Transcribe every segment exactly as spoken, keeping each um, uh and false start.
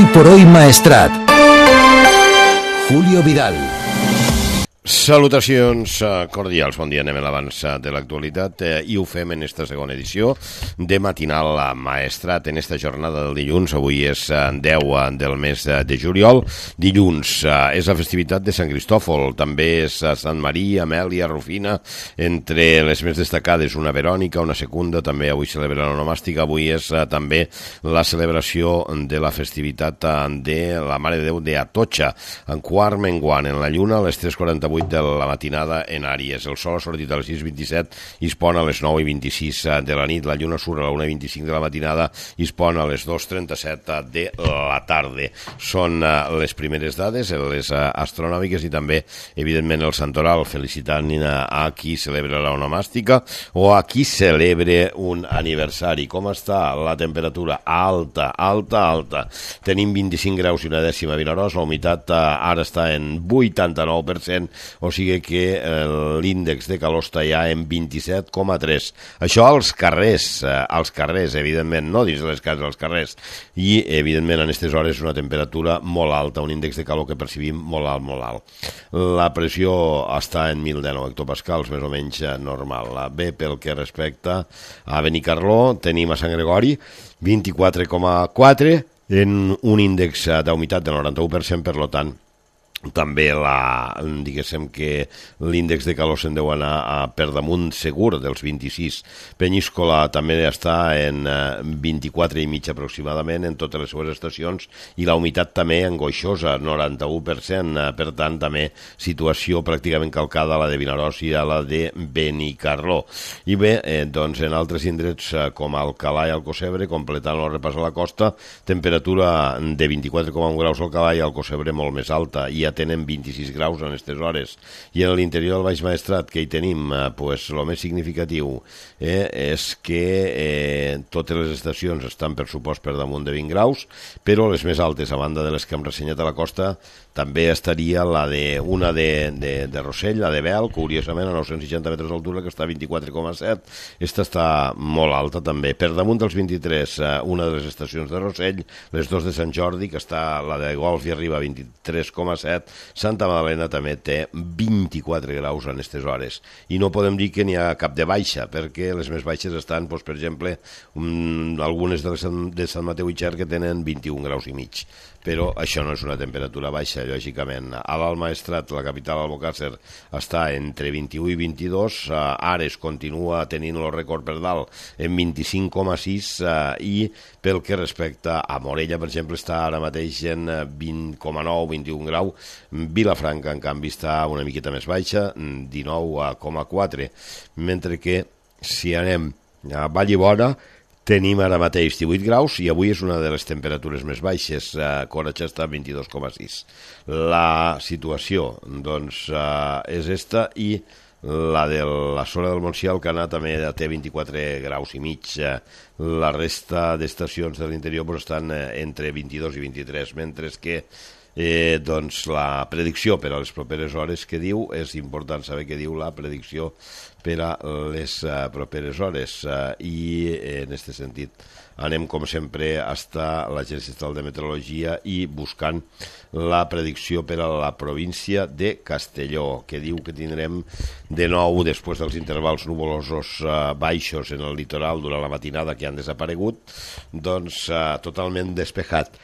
Hoy por hoy Maestrat. Julio Vidal. Salutacions cordials, bon dia, anem a l'abans de l'actualitat eh, i ho fem en esta segona edició de Matinal Maestrat en esta jornada del dilluns. Avui és deu del mes de juliol. Dilluns eh, és la festivitat de Sant Cristòfol, també és Sant Maria, Amèlia, Rufina, entre les més destacades una Verònica, una Secunda, també avui celebra l'onomàstica. Avui és eh, també la celebració de la festivitat eh, de la Mare de Déu d'Atocha, en quart menguant en la lluna, a les tres quaranta-vuit de la matinada en Àries. El sol ha sortit a les sis vint-i-set i es pon a les nou i vint-i-sis de la nit. La lluna surt a la una i vint-i-cinc de la matinada i es pon a les dos trenta-set de la tarda. Són les primeres dades, les astronòmiques, i també, evidentment, el santoral, felicitant a qui celebra l'onomàstica o a qui celebra un aniversari. Com està la temperatura? Alta, alta, alta. Tenim vint-i-cinc graus i una dècima a Vinaròs, la humitat ara està en vuitanta-nou per cent, o sigui que l'índex de calor està ja en vint-i-set coma tres. Això als carrers, als carrers, evidentment, no dins de les cases, als carrers. I, evidentment, en aquestes hores una temperatura molt alta, un índex de calor que percibim molt alt, molt alt. La pressió està en mil dinou hectopascals, més o menys normal. Bé, pel que respecta a Benicarló, tenim a Sant Gregori vint-i-quatre coma quatre en un índex d'humitat del noranta-u per cent, per tant, també la, diguéssim que l'índex de calor se'n deu anar a per damunt segur dels vint-i-sis. Penyíscola també està en vint-i-quatre i mig aproximadament en totes les seves estacions, i la humitat també angoixosa, noranta-u per cent, per tant també situació pràcticament calcada a la de Vinaròs i a la de Benicarló. I bé, eh, doncs en altres indrets com Alcalà i Alcocebre, completant el repàs a la costa, temperatura de vint-i-quatre coma un graus al Alcalà i Alcocebre molt més alta, i tenen vint-i-sis graus en aquestes hores. I en l'interior del Baix Maestrat, que hi tenim, eh, pues, el més significatiu eh, és que eh, totes les estacions estan per supost per damunt de vint graus, però les més altes, a banda de les que hem ressenyat a la costa, també estaria la de una de, de, de Rossell, la de Bel, curiosament a nou-cents seixanta metres d'altura, que està a vint-i-quatre coma set. Esta està molt alta també. Per damunt dels vint-i-tres, eh, una de les estacions de Rossell, les dos de Sant Jordi, que està la de Golf i arriba a vint-i-tres coma set. Santa Magdalena també té vint-i-quatre graus en aquestes hores. I no podem dir que n'hi ha cap de baixa, perquè les més baixes estan, doncs, per exemple, um, algunes de, les, de Sant Mateu i Xer, que tenen vint-i-un graus i mig. Però això no és una temperatura baixa, lògicament. A l'Alt Maestrat, la capital, Albocàsser, està entre vint-i-u i vint-i-dos, uh, Ares continua tenint el rècord per dalt en vint-i-cinc coma sis, uh, i pel que respecta a Morella, per exemple, està ara mateix en vint coma nou, vint-i-un grau. Vilafranca, en canvi, està una miqueta més baixa, dinou coma quatre, mentre que si anem a Vallibona, tenim ara mateix divuit graus i avui és una de les temperatures més baixes. A Coratxa està a vint-i-dos coma sis. La situació, doncs, és esta, i la de la Sola del Montsià, el Canà, també té vint-i-quatre graus i mig. La resta d'estacions de l'interior doncs, estan entre vint-i-dos i vint-i-tres, mentre que Eh, doncs la predicció per a les properes hores que diu, és important saber què diu la predicció per a les uh, properes hores, uh, i eh, en aquest sentit anem com sempre hasta l'Agència Estatal de Meteorologia i buscant la predicció per a la província de Castelló, que diu que tindrem de nou, després dels intervals nuvolosos uh, baixos en el litoral durant la matinada que han desaparegut, doncs uh, totalment despejat.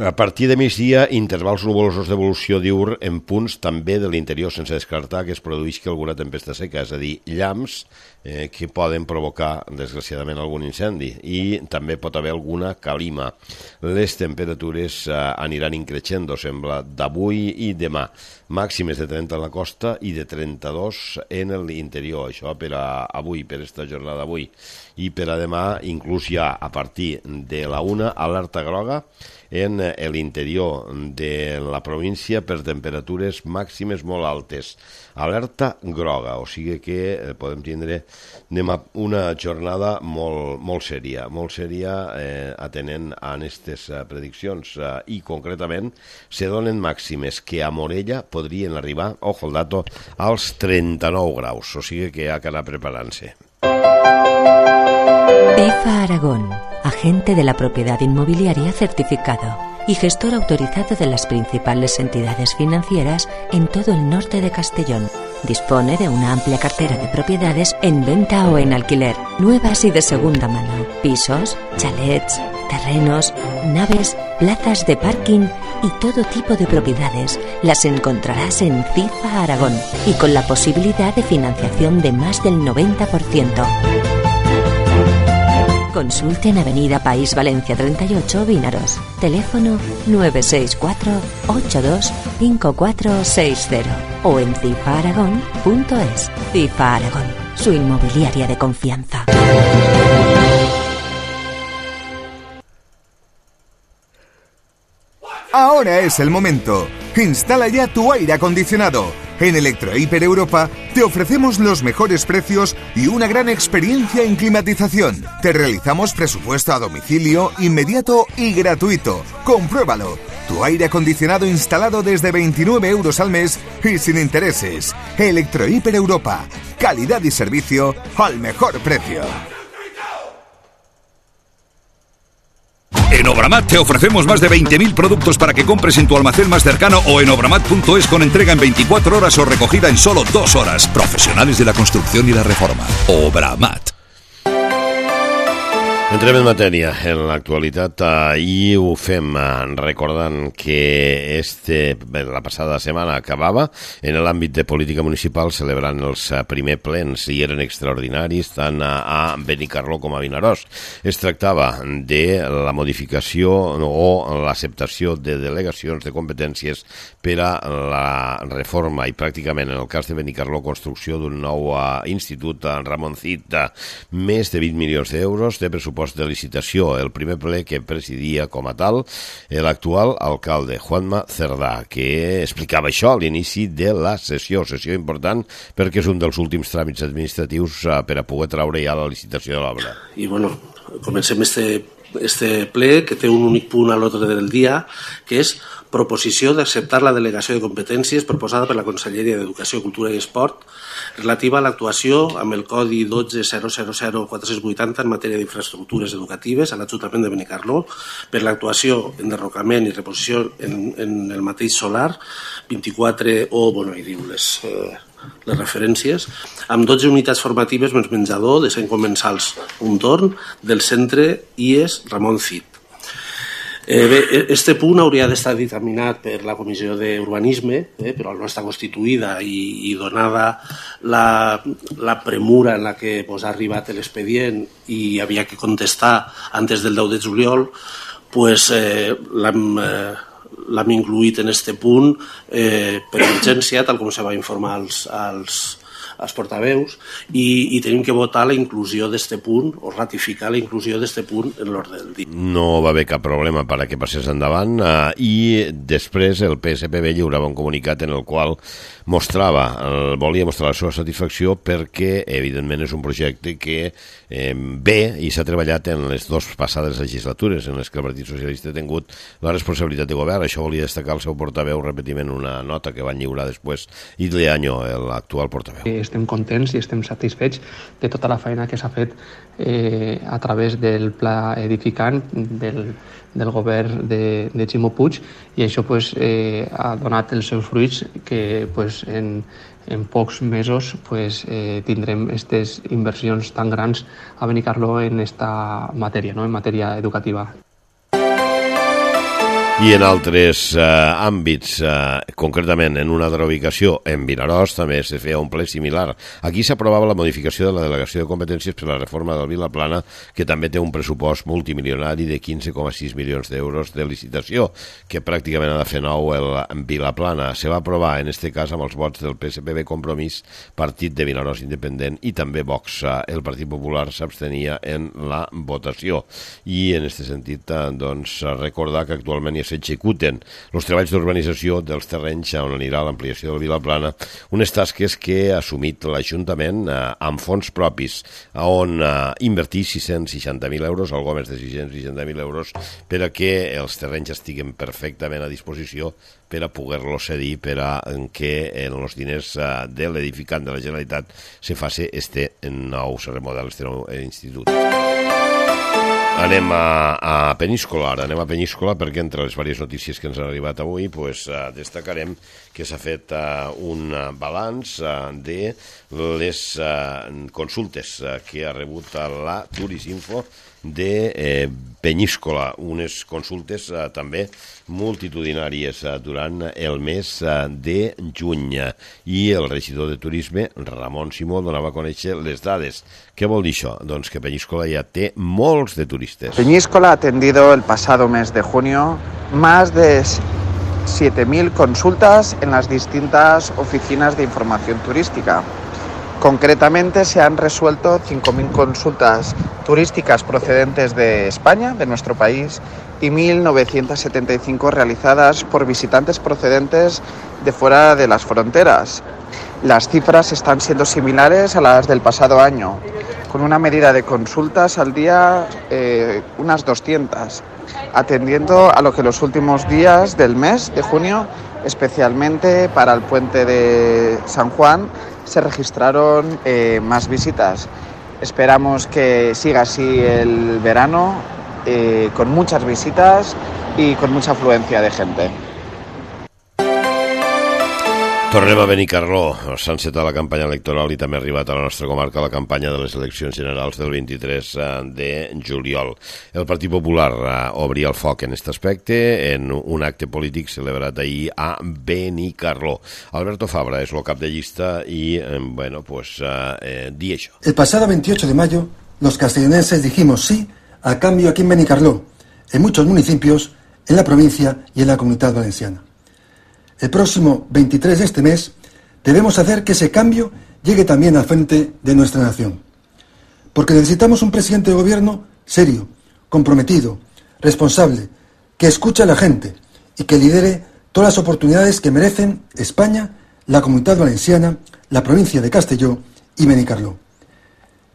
A partir de migdia, intervals nuvolosos d'evolució diürn en punts també de l'interior, sense descartar que es produïsca alguna tempesta seca, és a dir, llamps eh, que poden provocar, desgraciadament, algun incendi, i també pot haver alguna calima. Les temperatures eh, aniran increixendo, sembla, d'avui i demà. Màximes de trenta en la costa i de trenta-dos en l'interior. Això per a avui, per esta jornada d'avui. I per a demà, inclús ja a partir de la una, alerta groga en l'interior de la província per temperatures màximes molt altes. Alerta groga, o sigui que podem tindre una jornada molt, molt sèria, molt sèria eh, atenent a aquestes eh, prediccions, eh, i concretament se donen màximes que a Morella podrien arribar, ojo el dato, als trenta-nou graus, o sigui que hi ha que anar preparant-se. BIFA Aragón, agente de la propiedad inmobiliaria certificado. y gestor autorizado de las principales entidades financieras en todo el norte de Castellón. Dispone de una amplia cartera de propiedades en venta o en alquiler, nuevas y de segunda mano, pisos, chalets, terrenos, naves, plazas de parking y todo tipo de propiedades. Las encontrarás en CIFA Aragón y con la posibilidad de financiación de más del noventa por ciento. Consulte en Avenida País Valencia treinta y ocho, Vinaros. Teléfono nueve seis cuatro ocho dos cinco cuatro seis cero o en cifa aragón punto es. CIFA Aragón, su inmobiliaria de confianza. Ahora es el momento. Instala ya tu aire acondicionado. En Electrohiper Europa te ofrecemos los mejores precios y una gran experiencia en climatización. Te realizamos presupuesto a domicilio, inmediato y gratuito. Compruébalo. Tu aire acondicionado instalado desde veintinueve euros al mes y sin intereses. Electrohiper Europa. Calidad y servicio al mejor precio. En Obramat te ofrecemos más de veinte mil productos para que compres en tu almacén más cercano o en obramat punto es con entrega en veinticuatro horas o recogida en solo dos horas. Profesionales de la construcción y la reforma. Obramat. Entrem en matèria. En l'actualitat, ahir ho fem recordant que este, la passada setmana acabava en l'àmbit de política municipal celebrant els primer plens i eren extraordinaris tant a Benicarló com a Vinaròs. Es tractava de la modificació o l'acceptació de delegacions de competències per a la reforma i pràcticament en el cas de Benicarló construcció d'un nou institut Ramon Cid, més de vint milions d'euros de pressupost de licitació. El primer ple que presidia com a tal l'actual alcalde Juanma Cerdà, que explicava això a l'inici de la sessió, sessió important perquè és un dels últims tràmits administratius per a poder traure ja la licitació de l'obra. I bueno, comencem este, este ple que té un únic punt a l'ordre del dia, que és proposició d'acceptar la delegació de competències proposada per la Conselleria d'Educació, Cultura i Esport relativa a l'actuació amb el Codi dotze zero zero zero quatre vuitanta en matèria d'infraestructures educatives a l'Ajuntament de Benicarló per l'actuació en derrocament i reposició en, en el mateix solar vint-i-quatre o, bueno, hi diu les, eh, les referències, amb dotze unitats formatives més menjador de cent comensals un torn del centre I E S Ramon Cid. Eh, bé, este punt hauria d'estar dictaminat per la Comissió d'Urbanisme, eh, però no està constituïda i, i donada la, la premura en la que pues, ha arribat l'expedient i havia que contestar antes del deu de juliol, pues, eh, l'hem eh, l'hem incluït en este punt eh, per urgència, tal com se va informar als, als als portaveus i, i tenim que votar la inclusió d'este punt o ratificar la inclusió d'este punt en l'ordre del dia. No va haver cap problema per a que passés endavant eh, i després el P S P B lliurava un comunicat en el qual mostrava, el, volia mostrar la seva satisfacció perquè evidentment és un projecte que eh, ve i s'ha treballat en les dues passades legislatures en les que el Partit Socialista ha tingut la responsabilitat de govern. Això volia destacar el seu portaveu repetiment una nota que van lliurar després i l'Anyo, l'actual portaveu. Estem contents i estem satisfets de tota la feina que s'ha fet eh, a través del pla edificant del, del govern de, de Ximo Puig i això pues, eh, ha donat els seus fruits que pues, en, en pocs mesos pues, eh, tindrem aquestes inversions tan grans a Benicarló en esta matèria, no? En matèria educativa. I en altres eh, àmbits, eh, concretament en una altra ubicació, en Vinaròs, també se feia un ple similar. Aquí s'aprovava la modificació de la delegació de competències per la reforma del Vilaplana, que també té un pressupost multimilionari de quinze coma sis milions d'euros de licitació, que pràcticament ha de fer nou el Vilaplana. Se va aprovar, en aquest cas, amb els vots del P S P B Compromís, Partit de Vinaròs Independent i també Vox. El Partit Popular s'abstenia en la votació. I en aquest sentit, doncs, recordar que actualment hi s'executen els treballs d'urbanització dels terrenys on anirà l'ampliació del Vilaplana, unes tasques que ha assumit l'Ajuntament eh, amb fons propis, on eh, invertir sis-cents seixanta mil euros, algo més de sis-cents seixanta mil euros, per a que els terrenys estiguen perfectament a disposició per a poder-los cedir, per a que en els diners eh, de l'edificant de la Generalitat se faci este nou, se remodel este nou institut. Anem a, a Peníscola, ara anem a Peníscola perquè entre les diverses notícies que ens han arribat avui pues, uh, destacarem que s'ha fet uh, un uh, balanç uh, de les uh, consultes uh, que ha rebut uh, la Turisinfo de eh, Peníscola, unes consultes eh, també multitudinàries eh, durant el mes eh, de juny. I el regidor de Turisme, Ramon Simó, donava a conèixer les dades. Què vol dir això? Doncs que Peníscola ja té molts de turistes. Peníscola ha atendido el pasado mes de junio más de siete mil consultas en las distintas oficinas de información turística. Concretamente se han resuelto cinco mil consultas turísticas procedentes de España, de nuestro país, y mil novecientas setenta y cinco realizadas por visitantes procedentes de fuera de las fronteras. Las cifras están siendo similares a las del pasado año, con una medida de consultas al día eh, unas doscientas, atendiendo a lo que los últimos días del mes de junio, especialmente para el puente de San Juan, se registraron eh, más visitas. Esperamos que siga así el verano, eh, con muchas visitas y con mucha afluencia de gente. Tornem a Benicarló. S'ha encetat la campanya electoral i també ha arribat a la nostra comarca la campanya de les eleccions generals del vint-i-tres de juliol. El Partit Popular obria el foc en aquest aspecte en un acte polític celebrat ahir a Benicarló. Alberto Fabra és el cap de llista i, bueno, pues, eh, di això. El pasado veintiocho de mayo, los castellonenses dijimos sí al cambio aquí en Benicarló, en muchos municipios, en la provincia y en la Comunidad Valenciana. El próximo veintitrés de este mes debemos hacer que ese cambio llegue también al frente de nuestra nación. Porque necesitamos un presidente de gobierno serio, comprometido, responsable, que escuche a la gente y que lidere todas las oportunidades que merecen España, la Comunidad Valenciana, la provincia de Castelló y Benicarló.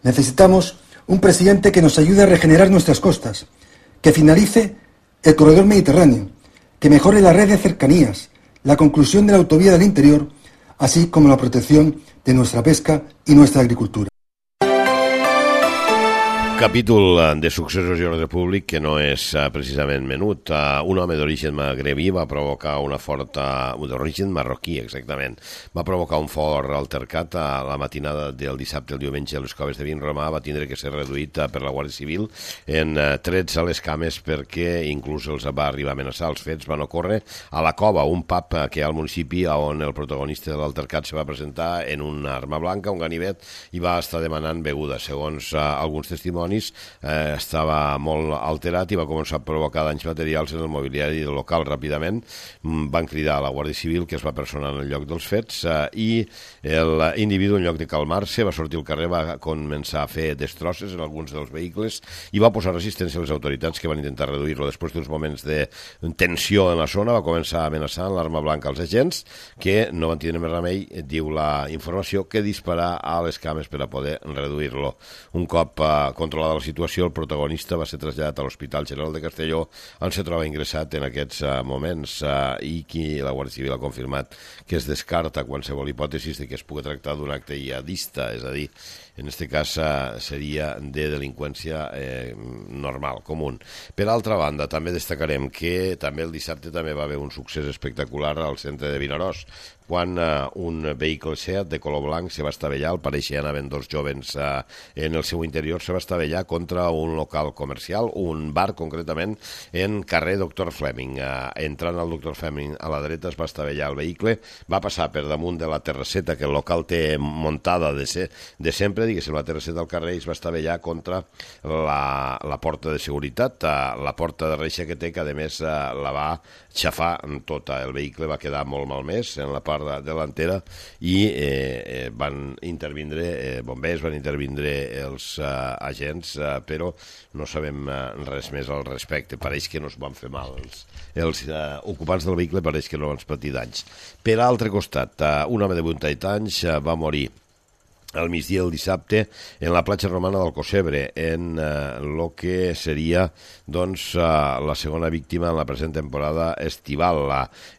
Necesitamos un presidente que nos ayude a regenerar nuestras costas, que finalice el corredor mediterráneo, que mejore la red de cercanías, la conclusión de la autovía del interior, así como la protección de nuestra pesca y nuestra agricultura. Capítol de successos i ordre públic que no és uh, precisament menut. Uh, un home d'origen magrebí va provocar una forta... d'origen marroquí, exactament. Va provocar un fort altercat a la matinada del dissabte al diumenge a les Coves de Vinromà. Va tindre que ser reduït uh, per la Guàrdia Civil en uh, trets a les cames perquè inclús els va arribar a amenaçar. Els fets van ocórrer a la Cova, un pub uh, que hi ha al municipi on el protagonista de l'altercat se va presentar en una arma blanca, un ganivet, i va estar demanant beguda. Segons uh, alguns testimonis, Eh, estava molt alterat i va començar a provocar danys materials en el mobiliari del local. Ràpidament van cridar a la Guàrdia Civil, que es va personar en el lloc dels fets, eh, i l'individu, en lloc de calmar-se, va sortir al carrer, va començar a fer destrosses en alguns dels vehicles i va posar resistència a les autoritats, que van intentar reduir-lo. Després d'uns moments de tensió en la zona, va començar a amenaçar amb l'arma blanca als agents, que no van tenir més remei, diu la informació, que disparar a les cames per a poder reduir-lo. Un cop eh, controlada la situació, el protagonista va ser traslladat a l'Hospital General de Castelló, on se troba ingressat en aquests uh, moments uh, i qui la Guàrdia Civil ha confirmat que es descarta qualsevol hipòtesi de que es pugui tractar d'un acte jihadista, és a dir, en aquest cas uh, seria de delinqüència eh, normal, comú. Per altra banda, també destacarem que també el dissabte també va haver un succés espectacular al centre de Vinaròs, quan uh, un vehicle Seat de color blanc se va estavellar, al pareixer anaven dos jovens uh, en el seu interior, se va estavellar contra un local comercial, un bar concretament, en carrer Doctor Fleming. Uh, entrant al Doctor Fleming a la dreta es va estavellar el vehicle, va passar per damunt de la terrasseta que el local té muntada de, ser, de sempre, diguéssim, la terrasseta del carrer, i es va estavellar contra la, la porta de seguretat, uh, la porta de reixa que té, que a més uh, la va xafar tota. El vehicle va quedar molt malmès en la part delantera i eh, eh, van intervindre eh, bombers, van intervindre els eh, agents, eh, però no sabem eh, res més al respecte. Pareix que no es van fer mal. Els, els eh, ocupants del vehicle pareix que no van patir danys. Per altre costat, eh, un home de vuitanta anys eh, va morir al migdia del dissabte en la platja romana del Cosebre, en el eh, que seria doncs, eh, la segona víctima en la present temporada estival.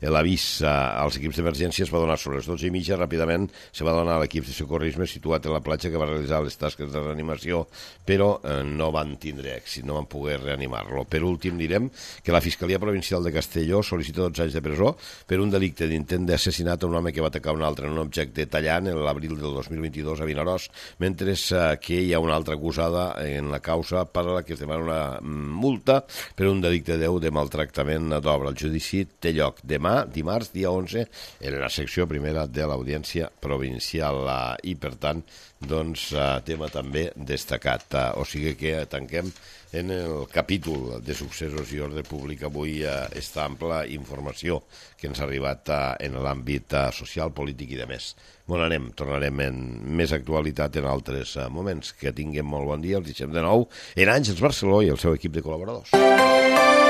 L'avís eh, als equips d'emergència es va donar sobre les dotze i mitja, ràpidament se va donar a l'equip de socorrisme situat en la platja que va realitzar les tasques de reanimació, però eh, no van tindre èxit, no van poder reanimar-lo. Per últim direm que la Fiscalia Provincial de Castelló sol·licita dotze anys de presó per un delicte d'intent d'assassinat a un home que va atacar un altre en un objecte tallant en l'abril del dos mil vint-i-dos a Vinaròs, mentre que hi ha una altra acusada en la causa per a la que es demana una multa per un delicte deu de maltractament d'obra. El judici té lloc demà, dimarts, dia onze, en la secció primera de l'Audiència Provincial i, per tant, doncs, tema també destacat. O sigui que tanquem en el capítol de successos i ordre públic avui esta ampla informació que ens ha arribat en l'àmbit social, polític i de més. Bon anem, tornarem en més actualitat en altres moments. Que tinguem molt bon dia, els deixem de nou en Àngels Barceló i el seu equip de col·laboradors.